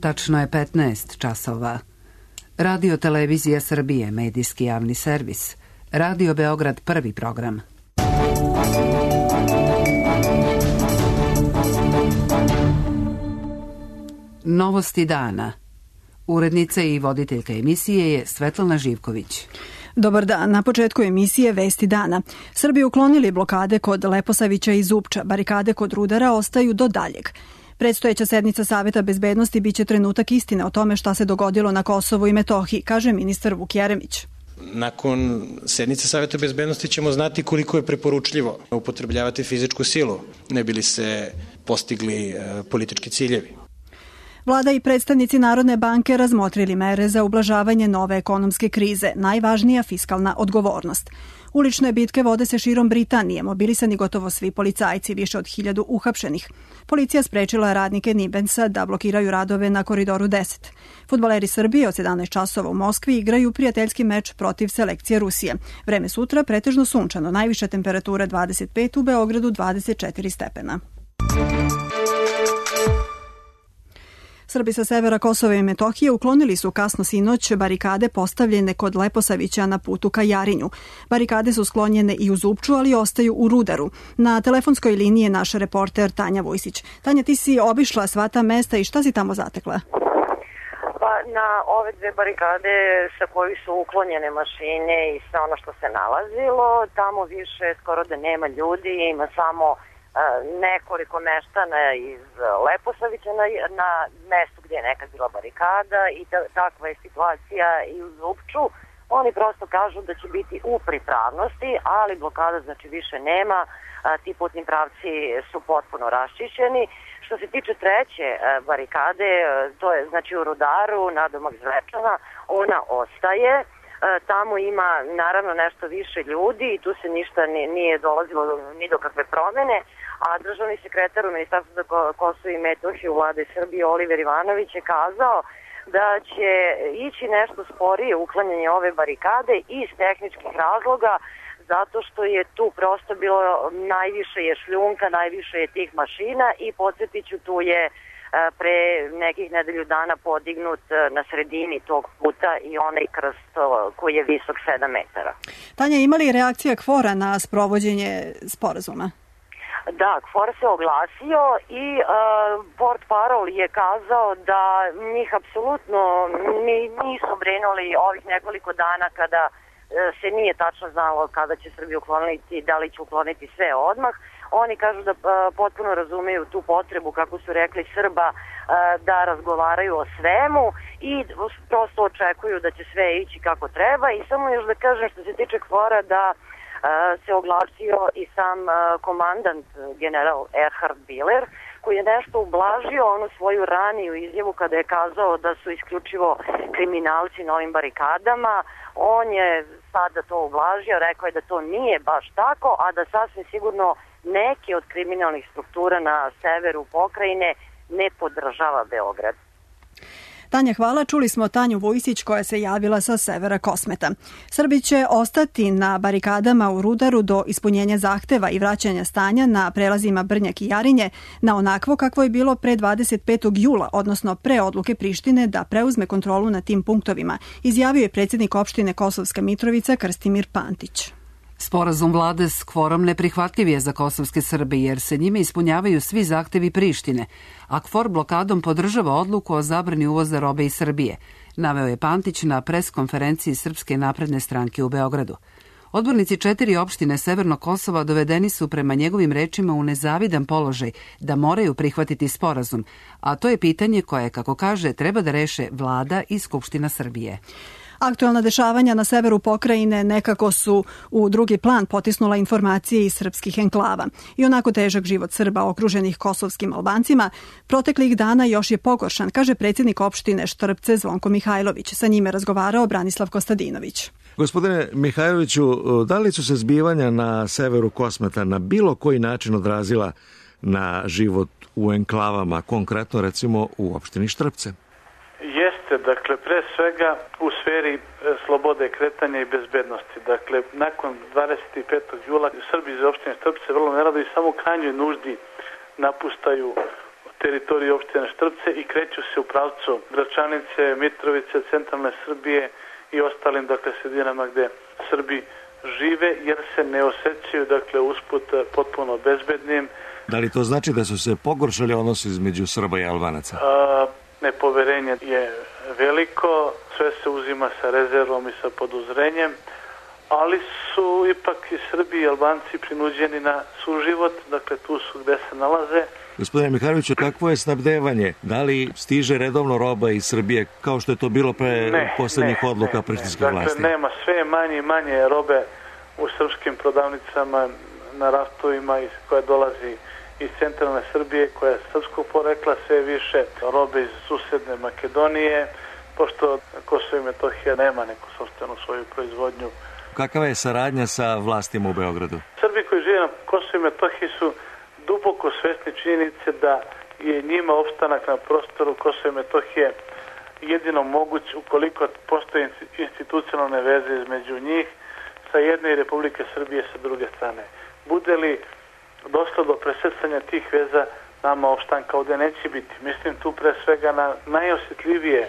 Tačno je 15 časova. Radio Televizija Srbije, medijski javni servis. Radio Beograd, prvi program. Novosti dana. Urednica i voditeljka emisije je Svetlana Živković. Dobar dan. Na početku emisije Vesti dana. Srbi uklonili blokade kod Leposavića i Zupča. Barikade kod Rudara ostaju do daljeg. Predstojeća sednica Saveta bezbednosti biće trenutak istine o tome šta se dogodilo na Kosovu i Metohiji, kaže ministar Vuk Jeremić. Nakon sednice Saveta bezbednosti ćemo znati koliko je preporučljivo upotrebljavati fizičku silu, ne bi li se postigli politički ciljevi. Vlada i predstavnici Narodne banke razmotrili mere za ublažavanje nove ekonomske krize, najvažnija fiskalna odgovornost. Ulične bitke vode se širom Britanije, mobilisani gotovo svi policajci, više od 1000 uhapšenih. Policija sprečila radnike Nibensa da blokiraju radove na Koridoru 10. Fudbaleri Srbije od 17 časova u Moskvi igraju prijateljski meč protiv selekcije Rusije. Vreme sutra pretežno sunčano, najviša temperatura 25, u Beogradu 24 stepena. Srbi sa severa Kosova i Metohije uklonili su kasno sinoć barikade postavljene kod Leposavića na putu ka Jarinju. Barikade su sklonjene i u Zupču, ali ostaju u Rudaru. Na telefonskoj liniji je naš reporter Tanja Vujsić. Tanja, ti si obišla sva ta mesta i šta si tamo zatekla? Pa na ove dve barikade sa kojih su uklonjene mašine i sve ono što se nalazilo, tamo više skoro da nema ljudi, ima samo nekoliko meštana iz Leposavića na mestu gdje je nekad bila barikada i takva je situacija i u Zupču. Oni prosto kažu da će biti u pripravnosti, ali blokada znači više nema, ti putni pravci su potpuno raščišćeni. Što se tiče treće barikade, to je znači u Rudaru, nadomak Zvečana, ona ostaje. Tamo ima naravno nešto više ljudi i tu se ništa nije dolazilo ni do kakve promene, a državni sekretar u Ministarstvu za Kosovo i Metohiju Vlade Srbije Oliver Ivanović je kazao da će ići nešto sporije uklanjanje ove barikade iz tehničkih razloga, zato što je tu prosto bilo najviše je šljunka, najviše je tih mašina i podsjetiću, tu je pre nekih nedelju dana podignut na sredini tog puta i onaj krst koji je visok 7 metara. Tanja, ima li reakcija KFOR-a na sprovođenje sporazuma? Da, KFOR se oglasio i portparol je kazao da njih apsolutno nisu brinuli ovih nekoliko dana kada se nije tačno znalo kada će Srbija ukloniti, da li će ukloniti sve odmah. Oni kažu da potpuno razumeju tu potrebu, kako su rekli, Srba da razgovaraju o svemu i prosto očekuju da će sve ići kako treba. I samo još da kažem što se tiče KFOR-a da se oglasio i sam komandant general Erhard Biller, koji je nešto ublažio onu svoju raniju izjavu kada je kazao da su isključivo kriminalci na ovim barikadama. On je sada to ublažio, rekao je da to nije baš tako, a da sasvim sigurno neki od kriminalnih struktura na severu pokrajine ne podržava Beograd. Tanja, hvala. Čuli smo Tanju Vujsić koja se javila sa severa Kosmeta. Srbi će ostati na barikadama u Rudaru do ispunjenja zahteva i vraćanja stanja na prelazima Brnjak i Jarinje na onakvo kakvo je bilo pre 25. jula, odnosno pre odluke Prištine da preuzme kontrolu na tim punktovima, izjavio je predsjednik opštine Kosovska Mitrovica Krstimir Pantić. Sporazum vlade s KFOR-om neprihvatljiv je za kosovske Srbe jer se njime ispunjavaju svi zahtevi Prištine, a KFOR blokadom podržava odluku o zabrani uvoza robe iz Srbije, naveo je Pantić na preskonferenciji Srpske napredne stranke u Beogradu. Odbornici 4 opštine Severnog Kosova dovedeni su prema njegovim rečima u nezavidan položaj da moraju prihvatiti sporazum, a to je pitanje koje, kako kaže, treba da reše vlada i Skupština Srbije. Aktualna dešavanja na severu pokrajine nekako su u drugi plan potisnula informacije iz srpskih enklava. I onako težak život Srba okruženih kosovskim Albancima proteklih dana još je pogoršan, kaže predsjednik opštine Štrpce Zvonko Mihajlović. Sa njime razgovarao Branislav Kostadinović. Gospodine Mihajloviću, da li su se zbivanja na severu Kosmeta na bilo koji način odrazila na život u enklavama, konkretno recimo u opštini Štrpce? Jeste, dakle, pre svega u sferi slobode kretanja i bezbednosti. Dakle, nakon 25. jula Srbi iz opštine Štrpce vrlo nerado i samo u krajnjoj nuždi napustaju teritoriji opštine Štrpce i kreću se u pravcu Gračanice, Mitrovice, centralne Srbije i ostalim sredinama gde Srbi žive, jer se ne osjećaju usput potpuno bezbednim. Da li to znači da su se pogoršali odnosi između Srba i Albanaca? Nepoverenje je veliko, sve se uzima sa rezervom i sa poduzrenjem, ali su ipak i Srbi i Albanci prinuđeni na suživot, tu su gde se nalaze. Gospodine Mihajloviću, kakvo je snabdevanje? Da li stiže redovno roba iz Srbije, kao što je to bilo pre poslednjih odluka prištinskih vlasti? Nema, sve manje i manje robe u srpskim prodavnicama na raftovima koja dolazi iz centralne Srbije, koja je srpskog porekla, sve više robe iz susedne Makedonije, pošto Kosovo i Metohija nema neku sopstvenu svoju proizvodnju. Kakva je saradnja sa vlastima u Beogradu? Srbi koji žive na Kosovo i Metohiji su duboko svesni činjenice da je njima opstanak na prostoru Kosova i Metohije jedino moguć ukoliko postoje institucionalne veze između njih sa jedne i Republike Srbije sa druge strane. Bude li došlo do presecanja tih veza, nama opštanka ovde neće biti. Mislim tu pre svega na najosjetljivije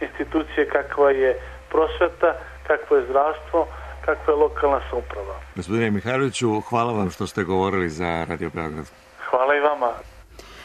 institucije kakva je prosveta, kakvo je zdravstvo, kakva je lokalna samouprava. Gospodine Mihajloviću, hvala vam što ste govorili za Radio Beograd. Hvala i vama.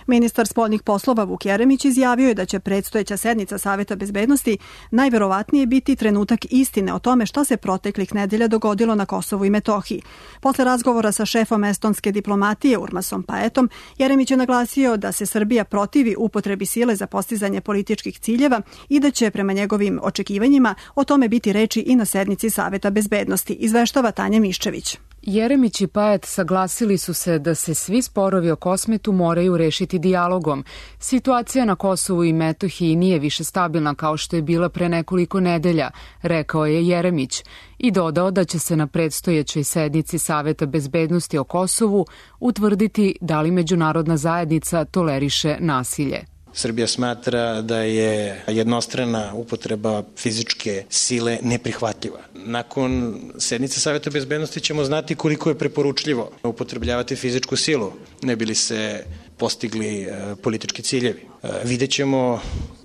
Ministar spoljnih poslova Vuk Jeremić izjavio je da će predstojeća sednica Saveta bezbednosti najverovatnije biti trenutak istine o tome šta se proteklih nedelja dogodilo na Kosovu i Metohiji. Posle razgovora sa šefom estonske diplomatije Urmasom Paetom, Jeremić je naglasio da se Srbija protivi upotrebi sile za postizanje političkih ciljeva i da će prema njegovim očekivanjima o tome biti reči i na sednici Saveta bezbednosti, izveštava Tanja Miščević. Jeremić i Paet saglasili su se da se svi sporovi o Kosmetu moraju rešiti dijalogom. Situacija na Kosovu i Metohiji nije više stabilna kao što je bila pre nekoliko nedelja, rekao je Jeremić, i dodao da će se na predstojećoj sednici Saveta bezbednosti o Kosovu utvrditi da li međunarodna zajednica toleriše nasilje. Srbija smatra da je jednostrana upotreba fizičke sile neprihvatljiva. Nakon sednice Saveta bezbednosti ćemo znati koliko je preporučljivo upotrebljavati fizičku silu, ne bi li se postigli politički ciljevi. Vidjet ćemo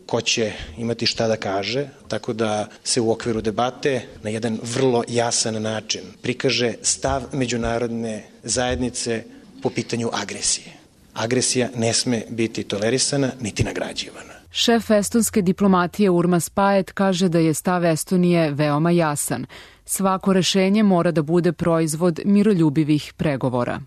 ko će imati šta da kaže, tako da se u okviru debate na jedan vrlo jasan način prikaže stav međunarodne zajednice po pitanju agresije. Agresija ne sme biti tolerisana niti nagrađivana. Šef estonske diplomatije Urmas Paet kaže da je stav Estonije veoma jasan. Svako rešenje mora da bude proizvod miroljubivih pregovora.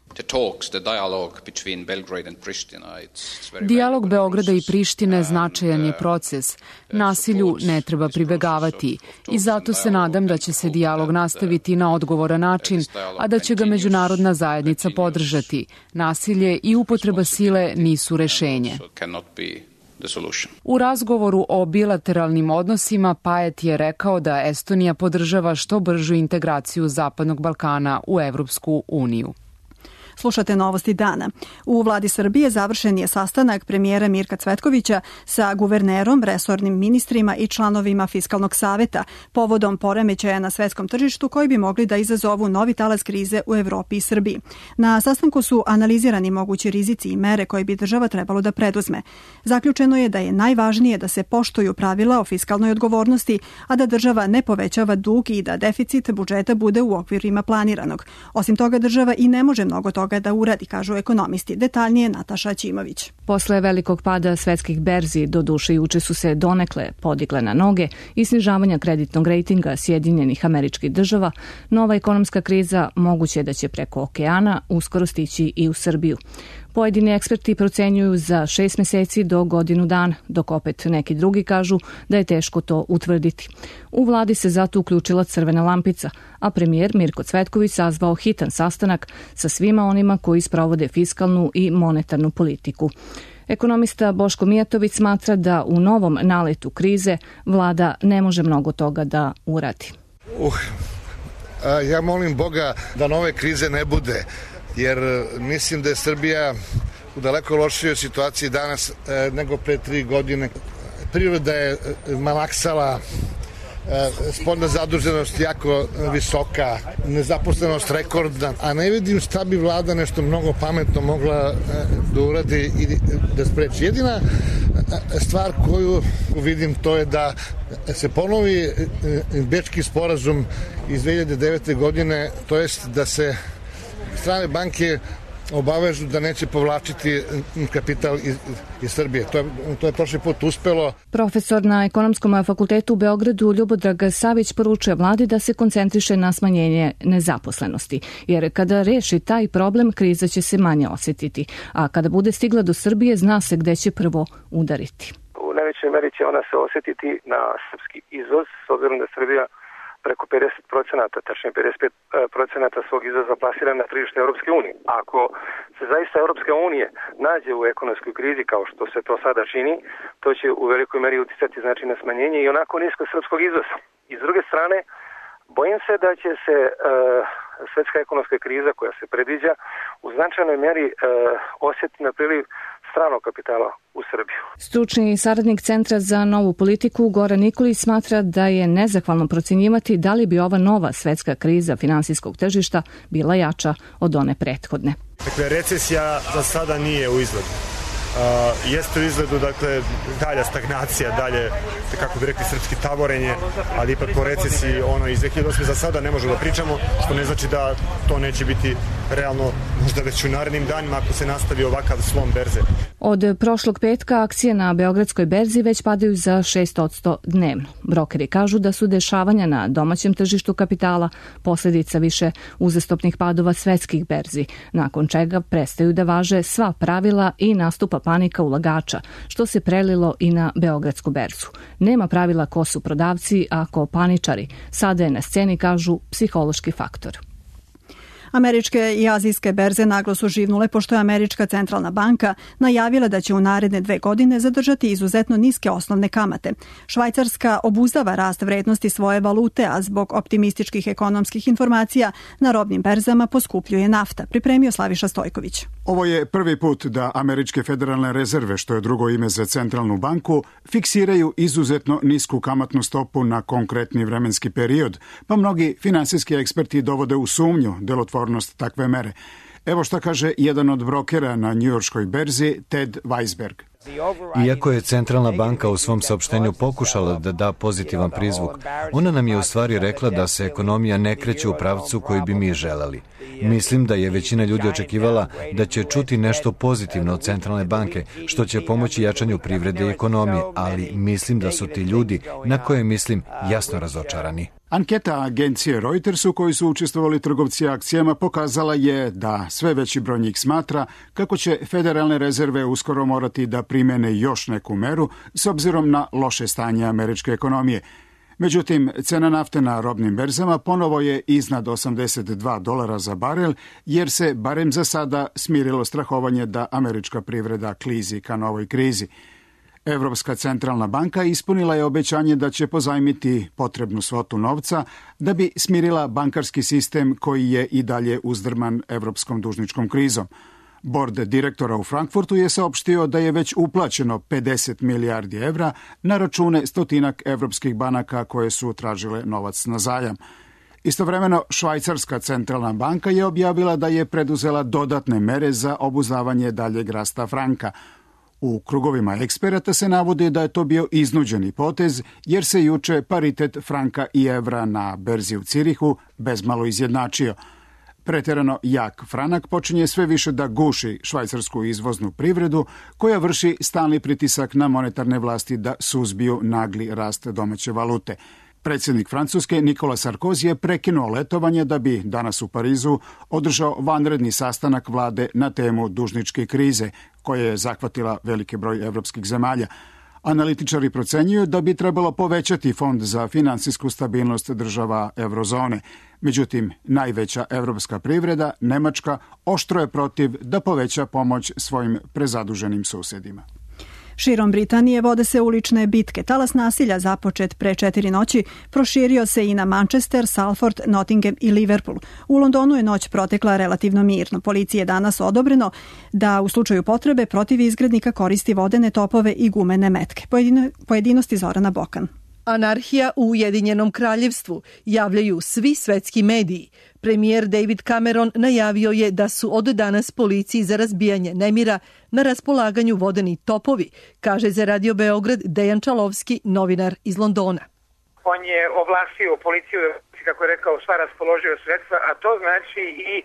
Dijalog Beograda i Prištine značajan je proces. Nasilju ne treba pribegavati i zato se nadam da će se dijalog nastaviti na odgovoran način, a da će ga međunarodna zajednica podržati. Nasilje i upotreba sile nisu rešenje. U razgovoru o bilateralnim odnosima Paet je rekao da Estonija podržava što bržu integraciju Zapadnog Balkana u Evropsku uniju. Slušate novosti dana. U vladi Srbije završen je sastanak premijera Mirka Cvetkovića sa guvernerom, resornim ministrima i članovima Fiskalnog saveta povodom poremećaja na svetskom tržištu koji bi mogli da izazovu novi talas krize u Evropi i Srbiji. Na sastanku su analizirani mogući rizici i mere koje bi država trebalo da preduzme. Zaključeno je da je najvažnije da se poštuju pravila o fiskalnoj odgovornosti, a da država ne povećava dug i da deficit budžeta bude u okvirima planiranog. Osim toga, država i ne može mnogo toga da uradi, kažu ekonomisti. Detaljnije Nataša Ćimović. Posle velikog pada svetskih berzi, doduše juče su se donekle podigle na noge i snižavanja kreditnog rejtinga Sjedinjenih Američkih Država, nova ekonomska kriza moguće da će preko okeana uskoro stići i u Srbiju. Pojedini eksperti procenjuju za 6 meseci do godinu dana, dok opet neki drugi kažu da je teško to utvrditi. U vladi se zato uključila crvena lampica, a premijer Mirko Cvetković sazvao hitan sastanak sa svima onima koji sprovode fiskalnu i monetarnu politiku. Ekonomista Boško Mijatović smatra da u novom naletu krize vlada ne može mnogo toga da uradi. Ja molim Boga da nove krize ne bude, jer mislim da je Srbija u daleko lošijoj situaciji danas nego pre 3 godine. Priroda je malaksala, spoljna zaduženost jako visoka, nezaposlenost rekordna, a ne vidim šta bi vlada nešto mnogo pametno mogla da uradi i da spreči. Jedina stvar koju vidim to je da se ponovi Bečki sporazum iz 2009. godine, to jest da se strane banke obavežu da neće povlačiti kapital iz Srbije. To je prošli put uspelo. Profesor na Ekonomskom fakultetu u Beogradu Ljubodrag Savić poručuje vladi da se koncentriše na smanjenje nezaposlenosti, jer kada reši taj problem, kriza će se manje osjetiti, a kada bude stigla do Srbije, zna se gde će prvo udariti. U najvećoj meri će ona se osjetiti na srpski izvoz, s obzirom da Srbija preko 50%, tačnije 55% svog izvoza plasira na tržište Europske unije. Ako se zaista Europska unija nađe u ekonomskoj krizi kao što se to sada čini, to će u velikoj meri uticati znači na smanjenje i onako nisko srpskog izvoza. I s druge strane, bojim se da će se svetska ekonomska kriza koja se predviđa u značajnoj meri osjetiti na priliv stranog kapitala u Srbiju. Stručni saradnik Centra za novu politiku Goran Nikolić smatra da je nezahvalno procenjivati da li bi ova nova svetska kriza finansijskog tržišta bila jača od one prethodne. Dakle, recesija za sada nije u izgledu. Jeste u izgledu, dakle, dalja stagnacija, dalje, kako bi rekli srpski, tavorenje, ali ipak po recesiji ono iz 2008. za sada ne možemo da pričamo, što ne znači da to neće biti realno možda već u narednim danima ako se nastavi ovakav slom berze. Od prošlog petka akcije na Beogradskoj berzi već padaju za 6% dnevno. Brokeri kažu da su dešavanja na domaćem tržištu kapitala posljedica više uzastopnih padova svetskih berzi, nakon čega prestaju da važe sva pravila i nastupa panika ulagača, što se prelilo i na Beogradsku berzu. Nema pravila ko su prodavci, a ko paničari. Sada je na sceni, kažu, psihološki faktor. Američke i azijske berze naglo su živnule pošto je Američka centralna banka najavila da će u naredne 2 godine zadržati izuzetno niske osnovne kamate. Švajcarska obuzdava rast vrednosti svoje valute, a zbog optimističkih ekonomskih informacija na robnim berzama poskupljuje nafta, pripremio Slaviša Stojković. Ovo je prvi put da američke federalne rezerve, što je drugo ime za centralnu banku, fiksiraju izuzetno nisku kamatnu stopu na konkretni vremenski period, pa mnogi finansijski eksperti dovode u sumnju delotvornost takve mere. Evo šta kaže jedan od brokera na njujorškoj berzi, Ted Weisberg. Iako je centralna banka u svom saopštenju pokušala da da pozitivan prizvuk, ona nam je u stvari rekla da se ekonomija ne kreće u pravcu koji bi mi želeli. Mislim da je većina ljudi očekivala da će čuti nešto pozitivno od centralne banke, što će pomoći jačanju privrede i ekonomije, ali mislim da su ti ljudi, na koje mislim, jasno razočarani. Anketa agencije Reuters u kojoj su učestvovali trgovci akcijama pokazala je da sve veći broj njih smatra kako će federalne rezerve uskoro morati da primene još neku meru s obzirom na loše stanje američke ekonomije. Međutim, cena nafte na robnim berzama ponovo je iznad $82 za barel, jer se barem za sada smirilo strahovanje da američka privreda klizi ka novoj krizi. Evropska centralna banka ispunila je obećanje da će pozajmiti potrebnu svotu novca da bi smirila bankarski sistem koji je i dalje uzdrman evropskom dužničkom krizom. Bord direktora u Frankfurtu je saopštio da je već uplaćeno 50 milijardi evra na račune stotinak evropskih banaka koje su tražile novac na zajam. Istovremeno, Švajcarska centralna banka je objavila da je preduzela dodatne mere za obuzdavanje daljeg rasta franka. U krugovima eksperata se navodi da je to bio iznuđeni potez, jer se juče paritet franka i evra na berzi u Cirihu bezmalo izjednačio. Preterano jak franak počinje sve više da guši švajcarsku izvoznu privredu, koja vrši stalni pritisak na monetarne vlasti da suzbiju nagli rast domaće valute. Predsjednik Francuske Nikola Sarkozy je prekinuo letovanje da bi danas u Parizu održao vanredni sastanak vlade na temu dužničke krize, koja je zahvatila veliki broj evropskih zemalja. Analitičari procenjuju da bi trebalo povećati fond za finansijsku stabilnost država eurozone. Međutim, najveća evropska privreda, Nemačka, oštro je protiv da poveća pomoć svojim prezaduženim susedima. Širom Britanije vode se ulične bitke. Talas nasilja započet pre 4 noći proširio se i na Manchester, Salford, Nottingham i Liverpool. U Londonu je noć protekla relativno mirno. Policiji je danas odobreno da u slučaju potrebe protiv izgrednika koristi vodene topove i gumene metke. Pojedinosti Zorana Bokan. Anarhija u Ujedinjenom kraljevstvu, javljaju svi svetski mediji. Premijer David Cameron najavio je da su od danas policiji za razbijanje nemira na raspolaganju vodeni topovi, kaže za Radio Beograd Dejan Čalovski, novinar iz Londona. On je ovlastio policiju, kako je rekao, sva raspoloživa sredstva, a to znači i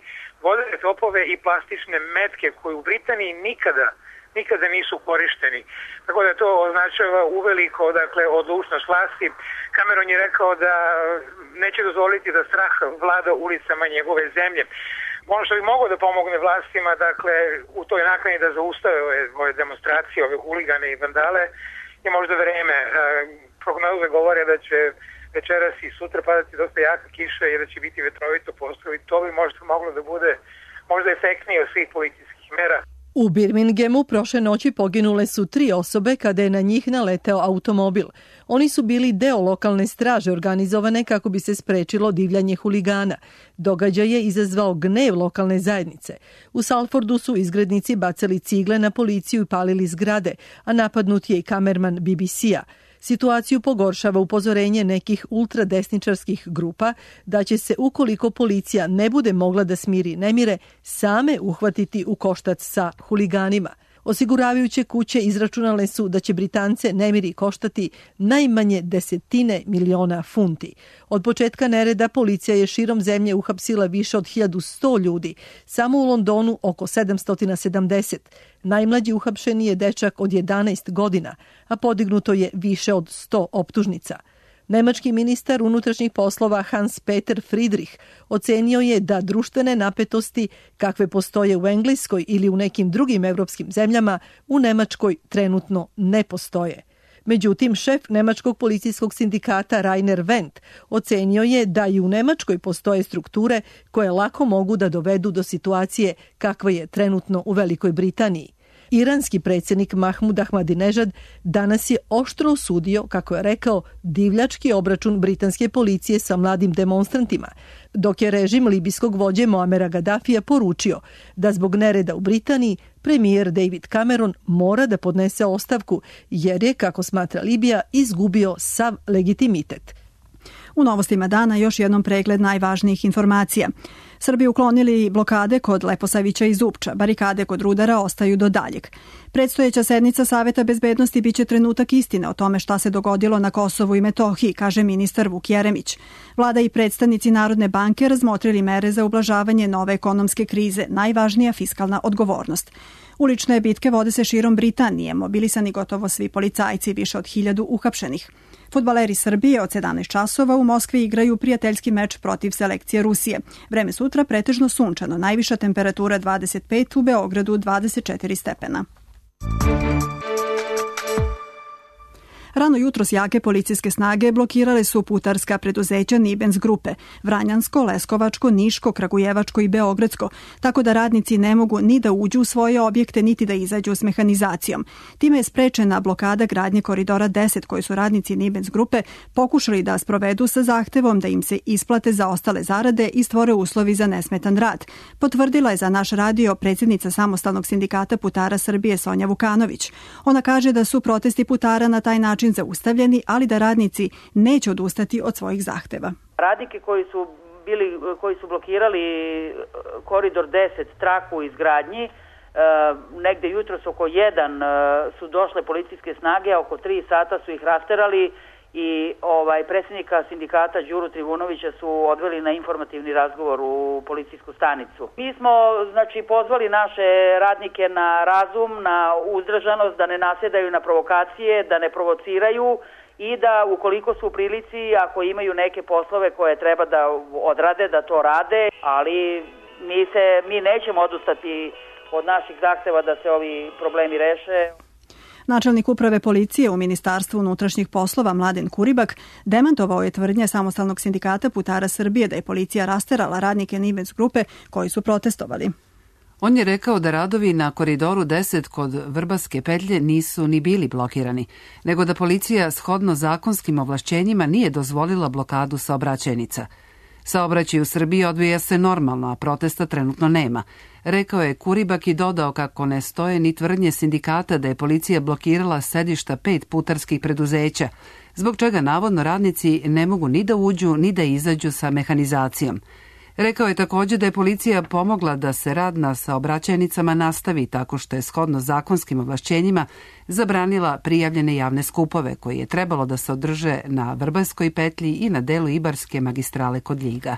vodene topove i plastične metke koje u Britaniji nikada nisu korišteni. Tako da to označava uveliko, dakle, odlučnost vlasti. Cameron je rekao da neće dozvoliti da strah vlada ulicama njegove zemlje. Ono što bi moglo da pomogne vlastima, dakle, u toj nakani da zaustave ove demonstracije, ove huligane i vandale, je možda vreme. Prognoze govore da će večeras i sutra padati dosta jaka kiša i da će biti vetrovito postao i to bi možda moglo da bude možda efektnije od svih policijskih mera. U Birminghamu prošle noći poginule su 3 osobe kada je na njih naleteo automobil. Oni su bili deo lokalne straže organizovane kako bi se sprečilo divljanje huligana. Događaj je izazvao gnev lokalne zajednice. U Salfordu su izgrednici bacali cigle na policiju i palili zgrade, a napadnut je i kamerman BBC-a. Situaciju pogoršava upozorenje nekih ultradesničarskih grupa da će se, ukoliko policija ne bude mogla da smiri nemire, same uhvatiti u koštac sa huliganima. Osiguravajuće kuće izračunale su da će Britance nemiri koštati najmanje 10 miliona funti. Od početka nereda policija je širom zemlje uhapsila više od 1100 ljudi, samo u Londonu oko 770. Najmlađi uhapšeni je dečak od 11 godina, a podignuto je više od 100 optužnica. Nemački ministar unutrašnjih poslova Hans-Peter Friedrich ocenio je da društvene napetosti kakve postoje u Engleskoj ili u nekim drugim evropskim zemljama u Nemačkoj trenutno ne postoje. Međutim, šef Nemačkog policijskog sindikata Rainer Wendt ocenio je da i u Nemačkoj postoje strukture koje lako mogu da dovedu do situacije kakva je trenutno u Velikoj Britaniji. Iranski predsjednik Mahmud Ahmadinejad danas je oštro osudio, kako je rekao, divljački obračun britanske policije sa mladim demonstrantima, dok je režim libijskog vođe Moamera Gaddafija poručio da zbog nereda u Britaniji premijer David Cameron mora da podnese ostavku jer je, kako smatra Libija, izgubio sav legitimitet. U novostima dana još jednom pregled najvažnijih informacija. Srbi uklonili blokade kod Leposavića i Zupča, barikade kod Rudara ostaju do daljeg. Predstojeća sednica Saveta bezbednosti biće trenutak istine o tome šta se dogodilo na Kosovu i Metohiji, kaže ministar Vuk Jeremić. Vlada i predstavnici Narodne banke razmotrili mere za ublažavanje nove ekonomske krize, najvažnija fiskalna odgovornost. Ulične bitke vode se širom Britanije, mobilisani gotovo svi policajci, više od 1000 uhapšenih. Fudbaleri Srbije od 17 časova u Moskvi igraju prijateljski meč protiv selekcije Rusije. Vreme sutra pretežno sunčano, najviša temperatura 25, u Beogradu 24 stepena. Rano jutros jake policijske snage blokirale su putarska preduzeća Nibens grupe, Vranjansko, Leskovačko, Niško, Kragujevačko i Beogradsko, tako da radnici ne mogu ni da uđu u svoje objekte, niti da izađu s mehanizacijom. Time je sprečena blokada gradnje koridora 10, koji su radnici Nibens grupe pokušali da sprovedu sa zahtevom da im se isplate za ostale zarade i stvore uslovi za nesmetan rad. Potvrdila je za naš radio predsjednica Samostalnog sindikata putara Srbije Sonja Vukanović. Ona kaže da su protesti putara na taj način zaustavljeni, ali da radnici neće odustati od svojih zahteva. Radnike koji su blokirali koridor 10 traku u izgradnji, negde jutros oko 1 su došle policijske snage, oko 3 sata su ih rasterali i predsjednika sindikata Đuru Trivunovića su odveli na informativni razgovor u policijsku stanicu. Mi smo pozvali naše radnike na razum, na uzdržanost, da ne nasjedaju na provokacije, da ne provociraju i da ukoliko su u prilici, ako imaju neke poslove koje treba da odrade, da to rade, ali mi nećemo odustati od naših zahteva da se ovi problemi reše. Načelnik uprave policije u Ministarstvu unutrašnjih poslova Mladen Kuribak demantovao je tvrdnje Samostalnog sindikata putara Srbije da je policija rasterala radnike Nibens grupe koji su protestovali. On je rekao da radovi na koridoru 10 kod Vrbaske petlje nisu ni bili blokirani, nego da policija shodno zakonskim ovlašćenjima nije dozvolila blokadu saobraćajnica. Saobraćaj u Srbiji odvija se normalno, a protesta trenutno nema. Rekao je Kuribak i dodao kako ne stoje ni tvrdnje sindikata da je policija blokirala sedišta 5 putarskih preduzeća, zbog čega navodno radnici ne mogu ni da uđu ni da izađu sa mehanizacijom. Rekao je također da je policija pomogla da se rad na saobraćajnicama nastavi tako što je shodno zakonskim ovlašćenjima zabranila prijavljene javne skupove koji je trebalo da se održe na Vrbanskoj petlji i na delu Ibarske magistrale kod Ljiga.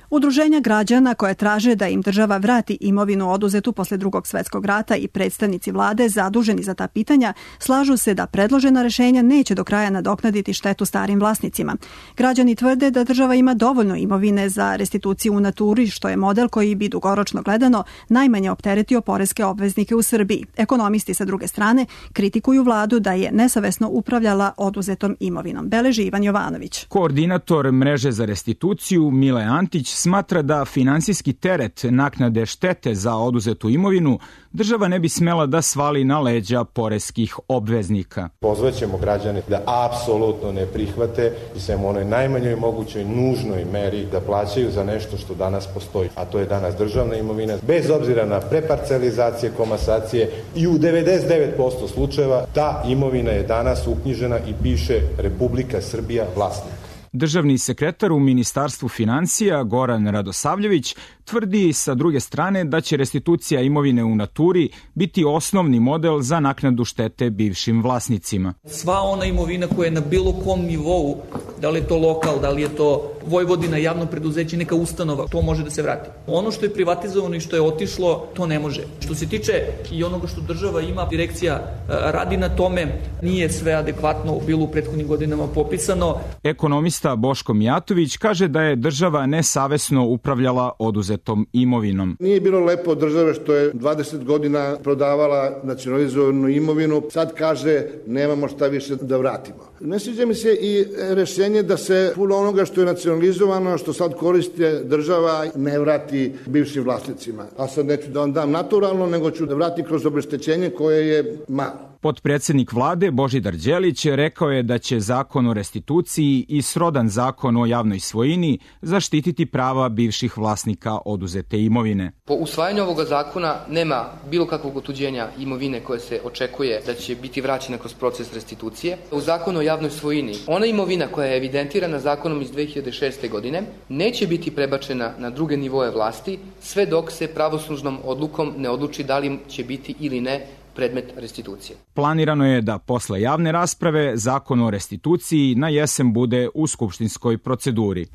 Udruženja građana koje traže da im država vrati imovinu oduzetu posle Drugog svjetskog rata i predstavnici vlade zaduženi za ta pitanja slažu se da predložena rešenja neće do kraja nadoknaditi štetu starim vlasnicima. Građani tvrde da država ima dovoljno imovine za restituciju u naturi, što je model koji bi dugoročno gledano najmanje opteretio poreske obveznike u Srbiji. Ekonomisti sa druge strane kritikuju vladu da je nesavesno upravljala oduzetom imovinom. Beleži Ivan Jovanović. Koordinator mreže za restituciju Mile Antić smatra da finansijski teret naknade štete za oduzetu imovinu država ne bi smela da svali na leđa poreskih obveznika. Pozvaćemo građane da apsolutno ne prihvate i samo onoj najmanjoj mogućoj nužnoj meri da plaćaju za nešto što danas postoji, a to je danas državna imovina. Bez obzira na preparcelizacije, komasacije i u 99% slučajeva ta imovina je danas uknjižena i piše Republika Srbija vlasnik. Državni sekretar u Ministarstvu financija Goran Radosavljević tvrdi sa druge strane da će restitucija imovine u naturi biti osnovni model za naknadu štete bivšim vlasnicima. Sva ona imovina koja je na bilo kom nivou, da li je to lokal, da li je to Vojvodina, javno preduzeće, neka ustanova, to može da se vrati. Ono što je privatizovano i što je otišlo, to ne može. Što se tiče i onoga što država ima, direkcija radi na tome, nije sve adekvatno bilo u prethodnim godinama popisano. Ekonomista Boško Mijatović kaže da je država nesavesno upravljala oduzetom imovinom. Nije bilo lepo od države što je 20 godina prodavala nacionalizovanu imovinu, sad kaže nemamo šta više da vratimo. Ne sviđa mi se i rešenje da se puno onoga što je nacionalizovano, što sad koriste država, ne vrati bivšim vlasnicima. A sad neću da vam dam naturalno, nego ću da vrati kroz obeštećenje koje je malo. Potpredsednik vlade Božidar Đelić rekao je da će zakon o restituciji i srodan zakon o javnoj svojini zaštititi prava bivših vlasnika oduzete imovine. Po usvajanju ovoga zakona nema bilo kakvog otuđenja imovine koje se očekuje da će biti vraćena kroz proces restitucije. U zakonu o javnoj svojini ona imovina koja je evidentirana zakonom iz 2006. godine neće biti prebačena na druge nivoe vlasti sve dok se pravosnažnom odlukom ne odluči da li će biti ili ne predmet restitucije. Planirano je da posle javne rasprave zakon o restituciji na jesen bude u skupštinskoj proceduri.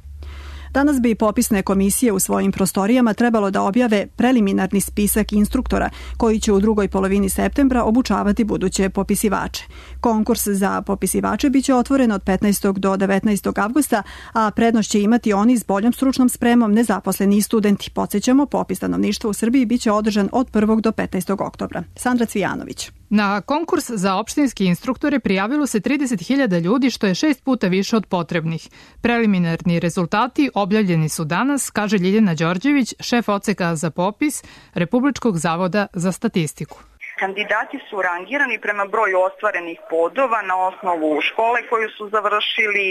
Danas bi popisne komisije u svojim prostorijama trebalo da objave preliminarni spisak instruktora koji će u drugoj polovini septembra obučavati buduće popisivače. Konkurs za popisivače biće otvoren od 15. do 19. avgusta, a prednost će imati oni s boljom stručnom spremom, nezaposleni i studenti. Podsećamo, popis stanovništva u Srbiji biće održan od 1. do 15. oktobra. Sandra Cvijanović. Na konkurs za opštinski instruktore prijavilo se 30.000 ljudi, što je 6 puta više od potrebnih. Preliminarni rezultati objavljeni su danas, kaže Ljiljana Đorđević, šef odseka za popis Republičkog zavoda za statistiku. Kandidati su rangirani prema broju ostvarenih bodova na osnovu škole koju su završili,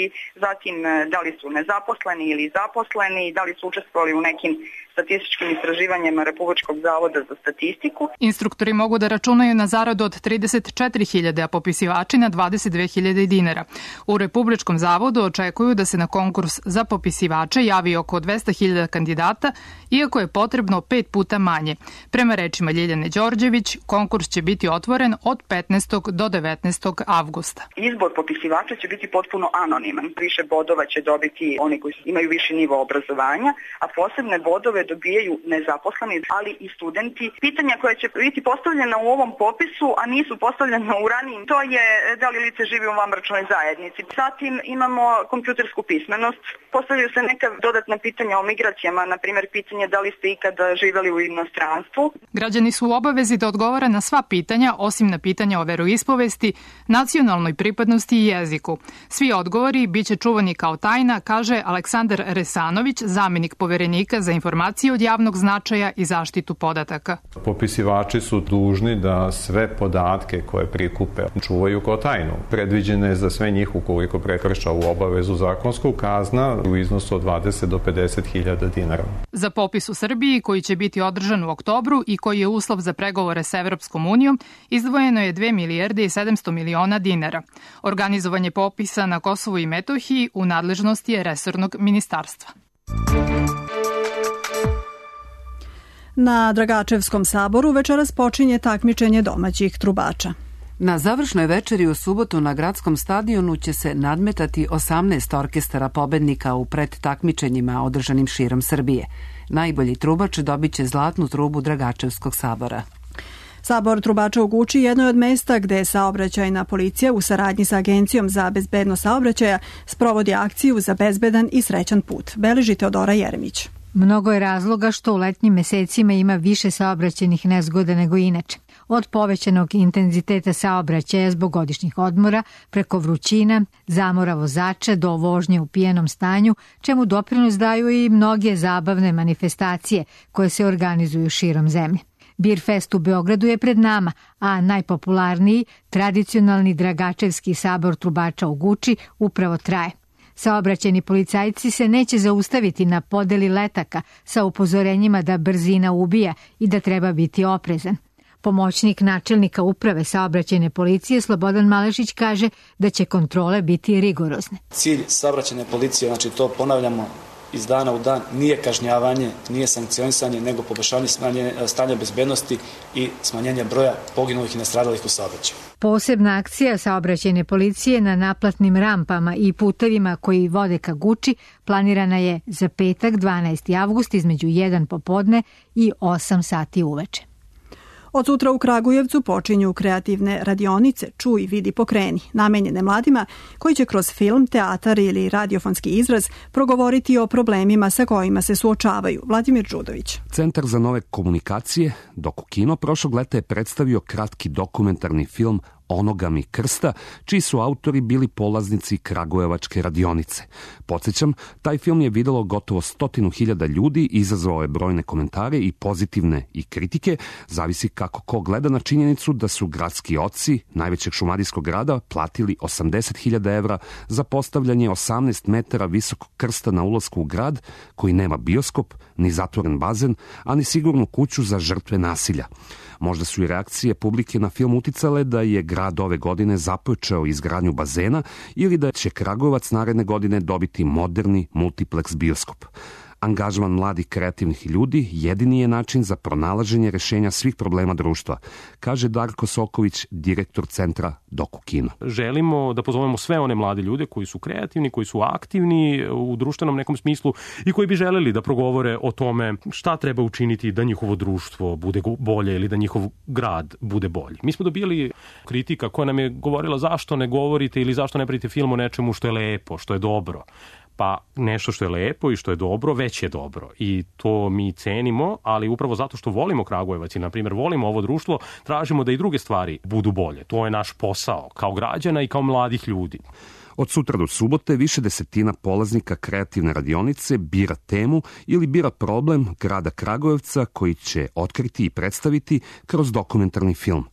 zatim da li su nezaposleni ili zaposleni, da li su učestvovali u nekim statističkim istraživanjima Republičkog zavoda za statistiku. Instruktori mogu da računaju na zaradu od 34.000, a popisivači na 22.000 dinara. U Republičkom zavodu očekuju da se na konkurs za popisivače javi oko 200.000 kandidata, iako je potrebno 5 puta manje. Prema rečima Ljiljane Đorđević, konkurs će biti otvoren od 15. do 19. avgusta. Izbor popisivača će biti potpuno anoniman. Više bodova će dobiti oni koji imaju viši nivo obrazovanja, a posebne bodove dobijaju nezaposleni, ali i studenti. Pitanja koja će biti postavljena u ovom popisu, a nisu postavljena u ranijim, to je da li lice živi u vanbračnoj zajednici. Zatim imamo kompjutersku pismenost. Postavljaju se neka dodatna pitanja o migracijama, na primjer pitanje da li ste ikada živeli u inostranstvu. Građani su u obavezi da odgovore na sva pitanja osim na pitanja o veroispovesti, nacionalnoj pripadnosti i jeziku. Svi odgovori biće čuvani kao tajna, kaže Aleksandar Resanović, zamenik poverenika za informacije od javnog značaja i zaštitu podataka. Popisivači su dužni da sve podatke koje prikupe čuvaju kao tajnu. Predviđene je za sve njih, ukoliko prekrša u obavezu zakonsku, kazna u iznosu od 20 do 50.000 dinara. Za popis u Srbiji, koji će biti održan u oktobru i koji je uslov za pregovore sa Evropskom unijom, izdvojeno je 2 milijarde i 700 miliona dinara. Organizovanje popisa na Kosovu i Metohiji u nadležnosti je resornog ministarstva. Na Dragačevskom saboru večeras počinje takmičenje domaćih trubača. Na završnoj večeri u subotu na gradskom stadionu će se nadmetati 18 orkestara pobednika u predtakmičenjima održanim širom Srbije. Najbolji trubač dobit će zlatnu trubu Dragačevskog sabora. Sabor trubača u Guči jedno je od mesta gde saobraćajna policija u saradnji sa Agencijom za bezbednost saobraćaja sprovodi akciju za bezbedan i srećan put. Beleži Teodora Jeremić. Mnogo je razloga što u letnjim mesecima ima više saobraćajnih nezgoda nego inače. Od povećanog intenziteta saobraćaja zbog godišnjih odmora, preko vrućina, zamora vozača do vožnje u pijenom stanju, čemu doprinos daju i mnoge zabavne manifestacije koje se organizuju širom zemlje. Beer Fest u Beogradu je pred nama, a najpopularniji, tradicionalni Dragačevski sabor trubača u Guči upravo traje. Saobraćajni policajci se neće zaustaviti na podeli letaka sa upozorenjima da brzina ubija i da treba biti oprezan. Pomoćnik načelnika uprave saobraćajne policije Slobodan Malešić kaže da će kontrole biti rigorozne. Cilj saobraćajne policije, znači to ponavljamo iz dana u dan, nije kažnjavanje, nije sankcionisanje, nego poboljšanje stanja bezbednosti i smanjenje broja poginulih i nastradalih u saobraćaju. Posebna akcija saobraćajne policije na naplatnim rampama i putevima koji vode ka Guči planirana je za petak 12. avgust između 1 popodne i 8 sati uveče. Od sutra u Kragujevcu počinju kreativne radionice Čuj, vidi, pokreni, namenjene mladima koji će kroz film, teatar ili radiofonski izraz progovoriti o problemima sa kojima se suočavaju. Vladimir Đudović. Centar za nove komunikacije, Doku Kino, prošlog leta je predstavio kratki dokumentarni film Onoga mi krsta, čiji su autori bili polaznici Kragujevačke radionice. Podsjećam, taj film je videlo gotovo 100.000 ljudi, izazvao je brojne komentare i pozitivne i kritike, zavisi kako ko gleda na činjenicu da su gradski oci najvećeg šumadijskog grada platili 80.000 evra za postavljanje 18 metara visokog krsta na ulasku u grad, koji nema bioskop, ni zatvoren bazen, a ni sigurnu kuću za žrtve nasilja. Možda su i reakcije publike na film uticale da je grad ove godine započeo izgradnju bazena ili da će Kragujevac naredne godine dobiti moderni multiplex bioskop. Angažman mladih kreativnih ljudi jedini je način za pronalaženje rešenja svih problema društva, kaže Darko Soković, direktor centra Doku Kino. Želimo da pozovemo sve one mlade ljude koji su kreativni, koji su aktivni u društvenom nekom smislu i koji bi želeli da progovore o tome šta treba učiniti da njihovo društvo bude bolje ili da njihov grad bude bolji. Mi smo dobili kritika koja nam je govorila zašto ne govorite ili zašto ne pravite film o nečemu što je lepo, što je dobro. Pa nešto što je lepo i što je dobro, već je dobro. I to mi cenimo, ali upravo zato što volimo Kragujevac i, na primjer, volimo ovo društvo, tražimo da i druge stvari budu bolje. To je naš posao kao građana i kao mladih ljudi. Od sutra do subote više desetina polaznika kreativne radionice bira temu ili bira problem grada Kragujevca koji će otkriti i predstaviti kroz dokumentarni film.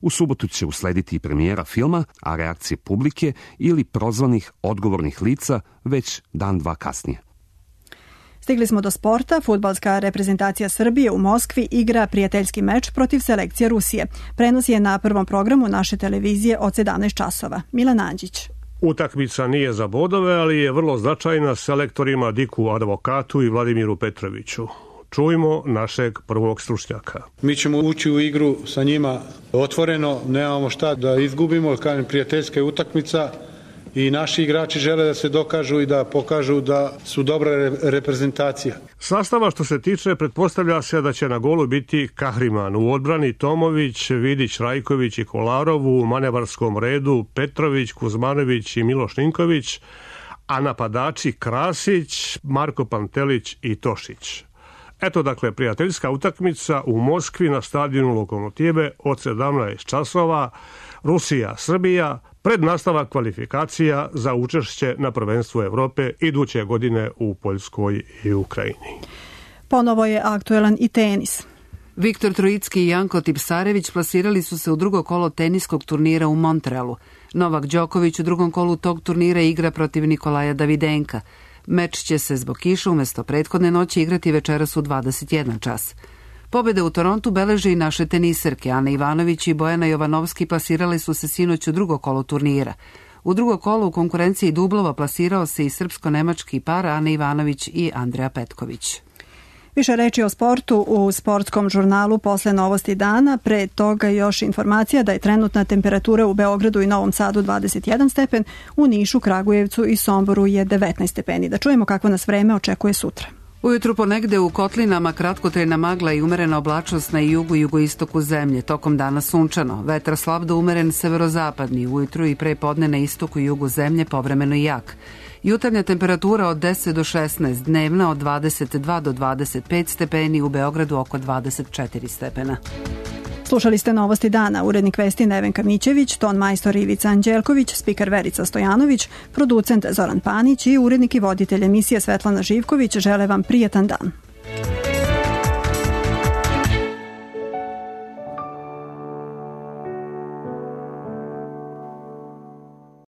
U subotu će uslediti i premijera filma, a reakcije publike ili prozvanih odgovornih lica već dan, dva kasnije. Stigli smo do sporta. Fudbalska reprezentacija Srbije u Moskvi igra prijateljski meč protiv selekcije Rusije. Prenos je na prvom programu naše televizije od 17 časova. Milan Anđić. Utakmica nije za bodove, ali je vrlo značajna selektorima Diku Advokatu i Vladimiru Petroviću. Čujmo našeg prvog stručnjaka. Mi ćemo ući u igru sa njima otvoreno, nemamo šta da izgubimo, kažem, prijateljska je utakmica i naši igrači žele da se dokažu i da pokažu da su dobra reprezentacija. Sastava što se tiče, pretpostavlja se da će na golu biti Kahriman, u odbrani Tomović, Vidić, Rajković i Kolarov, u manevarskom redu Petrović, Kuzmanović i Miloš Ninković, a napadači Krasić, Marko Pantelić i Tošić. Eto dakle prijateljska utakmica u Moskvi na stadionu Lokomotive od 17 časova, Rusija-Srbija, pred nastavak kvalifikacija za učešće na prvenstvu Evrope iduće godine u Poljskoj i Ukrajini. Ponovo je aktuelan i tenis. Viktor Trojicki i Janko Tipsarević plasirali su se u drugo kolo teniskog turnira u Montrealu. Novak Đoković u drugom kolu tog turnira igra protiv Nikolaja Davidenka. Meč će se zbog kiše umesto prethodne noći igrati večeras u 21 čas. Pobjede u Torontu beleže i naše teniserke. Ana Ivanović i Bojana Jovanovski plasirali su se sinoć u drugo kolo turnira. U drugo kolo u konkurenciji dublova plasirao se i srpsko-nemački par Ana Ivanović i Andreja Petković. Više reči o sportu u sportskom žurnalu posle novosti dana. Pre toga još informacija da je trenutna temperatura u Beogradu i Novom Sadu 21 stepen, u Nišu, Kragujevcu i Somboru je 19 stepeni. Da čujemo kako nas vreme očekuje sutra. Ujutru ponegde u kotlinama kratkotrajna magla i umerena oblačnost na jugu i jugoistoku zemlje. Tokom dana sunčano. Vetar slab do umeren severozapadni. Ujutru i pre podne na istoku i jugu zemlje povremeno i jak. Jutarnja temperatura od 10 do 16, dnevna od 22 do 25 stepeni, u Beogradu oko 24 stepena. Slušali ste novosti dana. Urednik vesti Nevenka Mićević, ton majstor Ivica Anđelković, spiker Verica Stojanović, producent Zoran Panić i urednik i voditelj emisije Svetlana Živković žele vam prijetan dan.